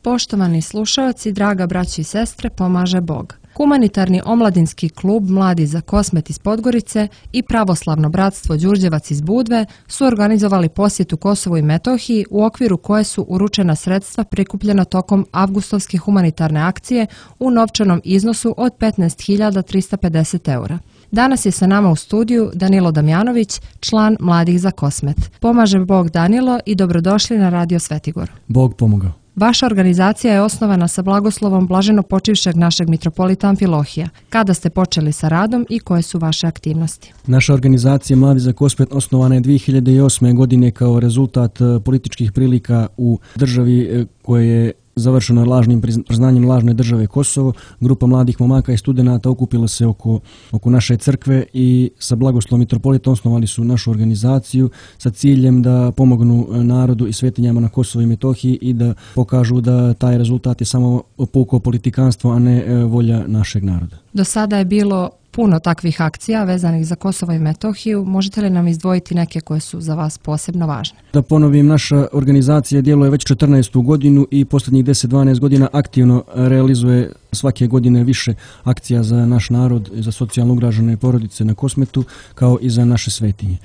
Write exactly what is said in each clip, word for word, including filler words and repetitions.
Poštovani slušaoci, draga braći i sestre, pomaže Bog. Humanitarni omladinski klub Mladi za Kosmet iz Podgorice i Pravoslavno bratstvo Đurđevac iz Budve su organizovali posjetu Kosovu i Metohiji u okviru koje su uručena sredstva prikupljena tokom avgustovske humanitarne akcije u novčanom iznosu od petnaest hiljada trista pedeset eura. Danas je sa nama u studiju Danilo Damjanović, član Mladih za Kosmet. Pomaže Bog, Danilo, i dobrodošli na Radio Svetigor. Bog pomogao. Vaša organizacija je osnovana sa blagoslovom blaženo počivšeg našeg mitropolita Amfilohija. Kada ste počeli sa radom i koje su vaše aktivnosti? Naša organizacija Mladi za Kosmet osnovana je dvije hiljade osme. godine kao rezultat političkih prilika u državi koje je završeno lažnim priznanjem lažne države Kosovo. Grupa mladih momaka i studenata okupila se oko, oko naše crkve i sa blagoslovom mitropolita osnovali su našu organizaciju sa ciljem da pomognu narodu i svetinjama na Kosovu i Metohiji i da pokažu da taj rezultat je samo puko politikanstvo, a ne volja našeg naroda. Do sada je bilo puno takvih akcija vezanih za Kosovo i Metohiju. Možete li nam izdvojiti neke koje su za vas posebno važne? Da ponovim, naša organizacija djeluje već četrnaestu godinu i posljednjih deset do dvanaest godina aktivno realizuje svake godine više akcija za naš narod, za socijalno ugrožene porodice na Kosmetu, kao i za naše svetinje.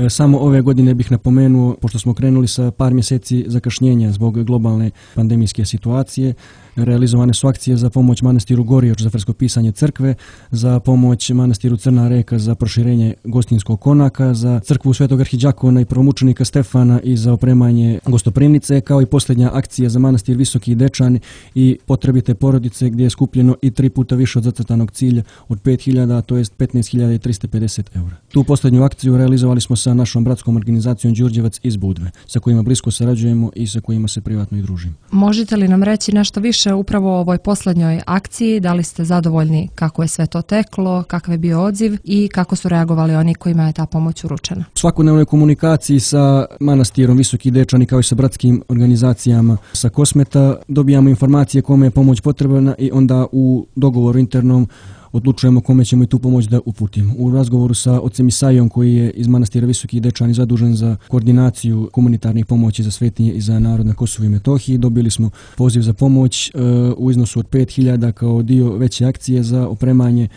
Samo ove godine bih napomenuo, pošto smo krenuli sa par mjeseci zakašnjenja zbog globalne pandemijske situacije, realizovane su akcije za pomoć manastiru Gorioč za freskopisanje crkve, za pomoć manastiru Crna Reka za proširenje gostinskog konaka, za crkvu Svetog arhidžakona i prvomučenika Stefana i za opremanje gostoprimnice, kao i posljednja akcija za manastir Visoki Dečani i potrebite porodice, gdje je skupljeno i tri puta više od zacrtanog cilja od pet hiljada, to jest petnaest hiljada trista pedeset eura. Tu posljednju akciju realizovali smo sa našom bratskom organizacijom Đurđevac iz Budve, sa kojima blisko sarađujemo i sa kojima se privatno i družimo. Možete li nam reći nešto više upravo o ovoj posljednjoj akciji? Da li ste zadovoljni kako je sve to teklo, kakav je bio odziv i kako su reagovali oni kojima je ta pomoć uručena? U svakodnevnoj komunikaciji sa manastirom Visoki Dečani kao i sa bratskim organizacijama sa Kosmeta dobijamo informacije kome je pomoć potrebna i onda u dogovoru internom odlučujemo kome ćemo i tu pomoć da uputimo. U razgovoru sa ocem Isajom, koji je iz manastira Visoki Dečani zadužen za koordinaciju humanitarnih pomoći za svetinje i za narod na Kosovu i Metohiji, dobili smo poziv za pomoć e, u iznosu od pet hiljada kao dio veće akcije za opremanje,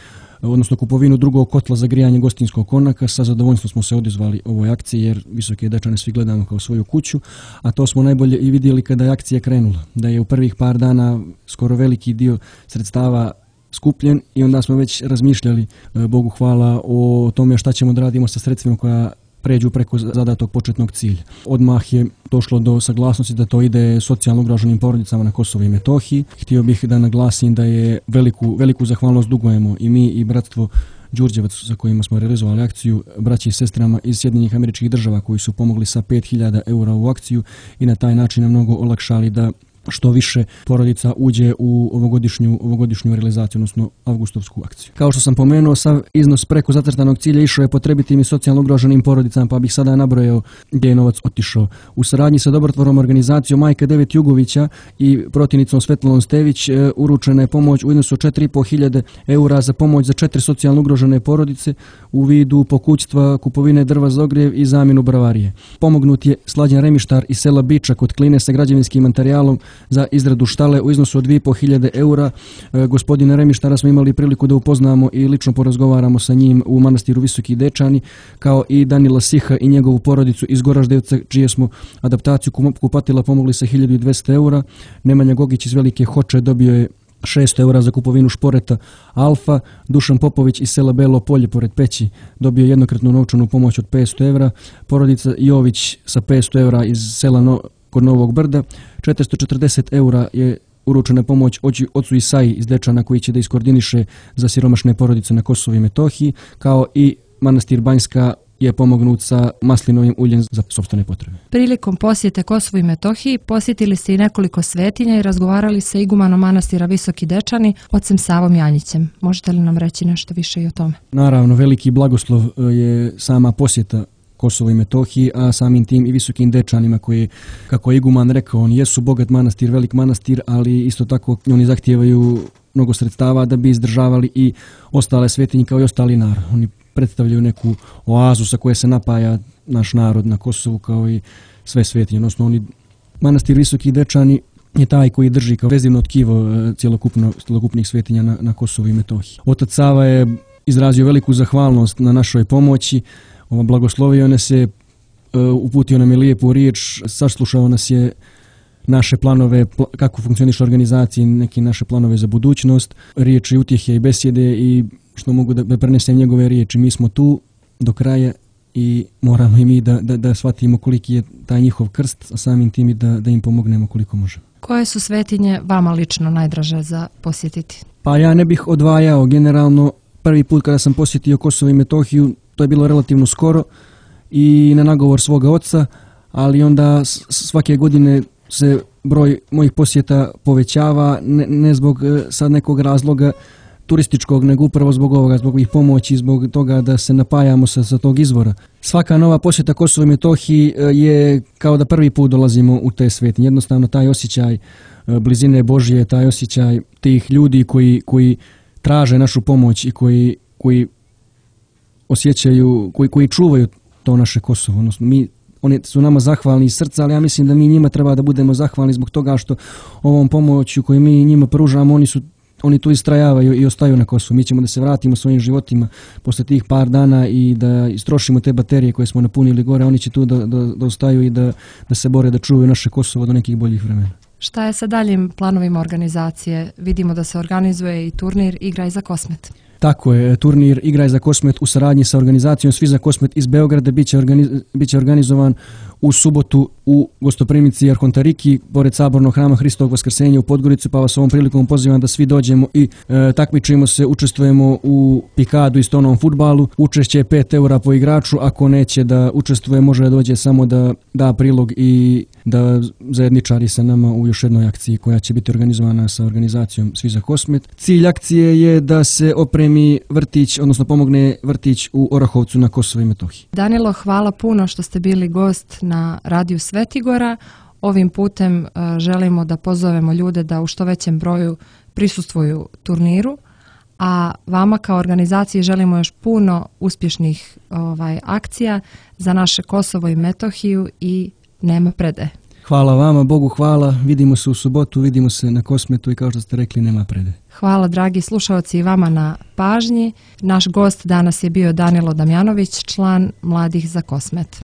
odnosno kupovinu drugog kotla za grijanje gostinskog konaka. Sa zadovoljstvom smo se odazvali ovoj akciji jer Visoke Dečane svi gledamo kao svoju kuću, a to smo najbolje i vidjeli kada je akcija krenula, da je u prvih par dana skoro veliki dio sredstava skupljen i onda smo već razmišljali, Bogu hvala, o tome šta ćemo da radimo sa sredstvima koja pređu preko zadatog početnog cilja. Odmah je došlo do saglasnosti da to ide socijalno ugroženim porodicama na Kosovu i Metohiji. Htio bih da naglasim da je veliku, veliku zahvalnost dugujemo i mi i bratstvo Đurđevac, za kojima smo realizovali akciju, braći i sestrama iz Sjedinjenih Američkih Država koji su pomogli sa pet hiljada eura u akciju i na taj način nam mnogo olakšali da što više porodica uđe u ovogodišnju, ovogodišnju realizaciju, odnosno avgustovsku akciju. Kao što sam pomenuo, sav iznos preko zacrtanog cilja išao je potrebitim i socijalno ugroženim porodicama, pa bih sada nabrojao gdje je novac otišao. U saradnji sa dobrotvornom organizacijom Majka Devet Jugovića i protivnicom Svetlanom Stević uručena je pomoć u iznosu od četiri i po hiljade eura za pomoć za četiri socijalno ugrožene porodice u vidu pokućstva, kupovine drva za ogrjev i zamjenu bravarije. Pomognut je Slađan Remištar iz sela Biča kod Kline sa građevinskim materijalom za izradu štale u iznosu od dvije i po hiljade eura. E, gospodina Remištara smo imali priliku da upoznamo i lično porazgovaramo sa njim u manastiru Visoki Dečani, kao i Danila Siha i njegovu porodicu iz Goraždevca, čije smo adaptaciju kupatila pomogli sa hiljadu i dvesta eura. Nemanja Gogić iz Velike Hoče dobio je šesto eura za kupovinu šporeta Alfa. Dušan Popović iz sela Belo Polje pored Peći dobio jednokratnu novčanu pomoć od petsto eura. Porodica Jović sa petsto eura iz sela no kod Novog Brda. četiristo četrdeset eura je uručena pomoć ocu Isaji iz Dečana, koji će da iskoordiniše za siromašne porodice na Kosovu i Metohiji, kao i manastir Banjska je pomognut sa maslinovim uljem za sopstvene potrebe. Prilikom posjete Kosovu i Metohiji posjetili ste i nekoliko svetinja i razgovarali sa igumanom manastira Visoki Dečani, ocem Savom Janjićem. Možete li nam reći nešto više i o tome? Naravno, veliki blagoslov je sama posjeta Kosovo i Metohiji, a samim tim i Visokim Dečanima koji, kako je iguman rekao, oni jesu bogat manastir, velik manastir, ali isto tako oni zahtijevaju mnogo sredstava da bi izdržavali i ostale svetinje kao i ostali narod. Oni predstavljaju neku oazu sa koje se napaja naš narod na Kosovu kao i sve svetinje. Odnosno, oni, manastir Visoki Dečani je taj koji drži kao vezivno tkivo cjelokupno, cjelokupnih svetinja na, na Kosovu i Metohiji. Otac Sava je izrazio veliku zahvalnost na našoj pomoći, blagoslovio nas je, uputio nam je lijepu riječ, saslušao nas je naše planove, kako funkcioniše organizacija, neke naše planove za budućnost, riječi utjehe i besjede i što mogu da prenesem njegove riječi. Mi smo tu do kraja i moramo i mi da, da, da shvatimo koliki je taj njihov krst, a samim tim i da, da im pomognemo koliko možemo. Koje su svetinje vama lično najdraže za posjetiti? Pa ja ne bih odvajao generalno. Prvi put kada sam posjetio Kosovo i Metohiju, to je bilo relativno skoro i na nagovor svoga oca, ali onda svake godine se broj mojih posjeta povećava, ne, ne zbog sad nekog razloga turističkog, nego upravo zbog ovoga, zbog ovih pomoći, zbog toga da se napajamo sa, sa tog izvora. Svaka nova posjeta Kosovo i Metohiji je kao da prvi put dolazimo u te svetinje. Jednostavno taj osjećaj blizine Božje, taj osjećaj tih ljudi koji, koji traže našu pomoć i koji, koji osjećaju, koji, koji čuvaju to naše Kosovo. Odnosno, mi, oni su nama zahvalni iz srca, ali ja mislim da mi njima treba da budemo zahvalni zbog toga što ovom pomoću koju mi njima pružamo, oni su Oni tu istrajavaju i ostaju na Kosovu. Mi ćemo da se vratimo svojim životima posle tih par dana i da istrošimo te baterije koje smo napunili gore. Oni će tu da, da, da ostaju i da, da se bore da čuvaju naše Kosovo do nekih boljih vremena. Šta je sa daljim planovima organizacije? Vidimo da se organizuje i turnir Igraj za Kosmet. Tako je, turnir Igraj za Kosmet u saradnji sa organizacijom Svi za Kosmet iz Beograda biće, organiz, biće organizovan u subotu u gostoprimici Arhontariki, pored Sabornog hrama Hristovog Vaskrsenja u Podgoricu, pa vas ovom prilikom pozivam da svi dođemo i e, takmičimo se, učestvujemo u pikadu i stonovom fudbalu. Učešće je pet eura po igraču, ako neće da učestvuje, može da dođe samo da da prilog i da zajedničari sa nama u još jednoj akciji koja će biti organizovana sa organizacijom Svi za Kosmet. Cilj akcije je da se opremi vrtić, odnosno pomogne vrtić u Orahovcu na Kosovo i Metohiji. Danilo, hvala puno što ste bili gost na Radiju Svetigora. Ovim putem uh, želimo da pozovemo ljude da u što većem broju prisustvuju turniru, a vama kao organizaciji želimo još puno uspješnih ovaj, akcija za naše Kosovo i Metohiju i nema predaje. Hvala vama, Bogu hvala, vidimo se u subotu, vidimo se na Kosmetu i kao što ste rekli, nema predaje. Hvala dragi slušalci i vama na pažnji. Naš gost danas je bio Danilo Damjanović, član Mladih za Kosmet.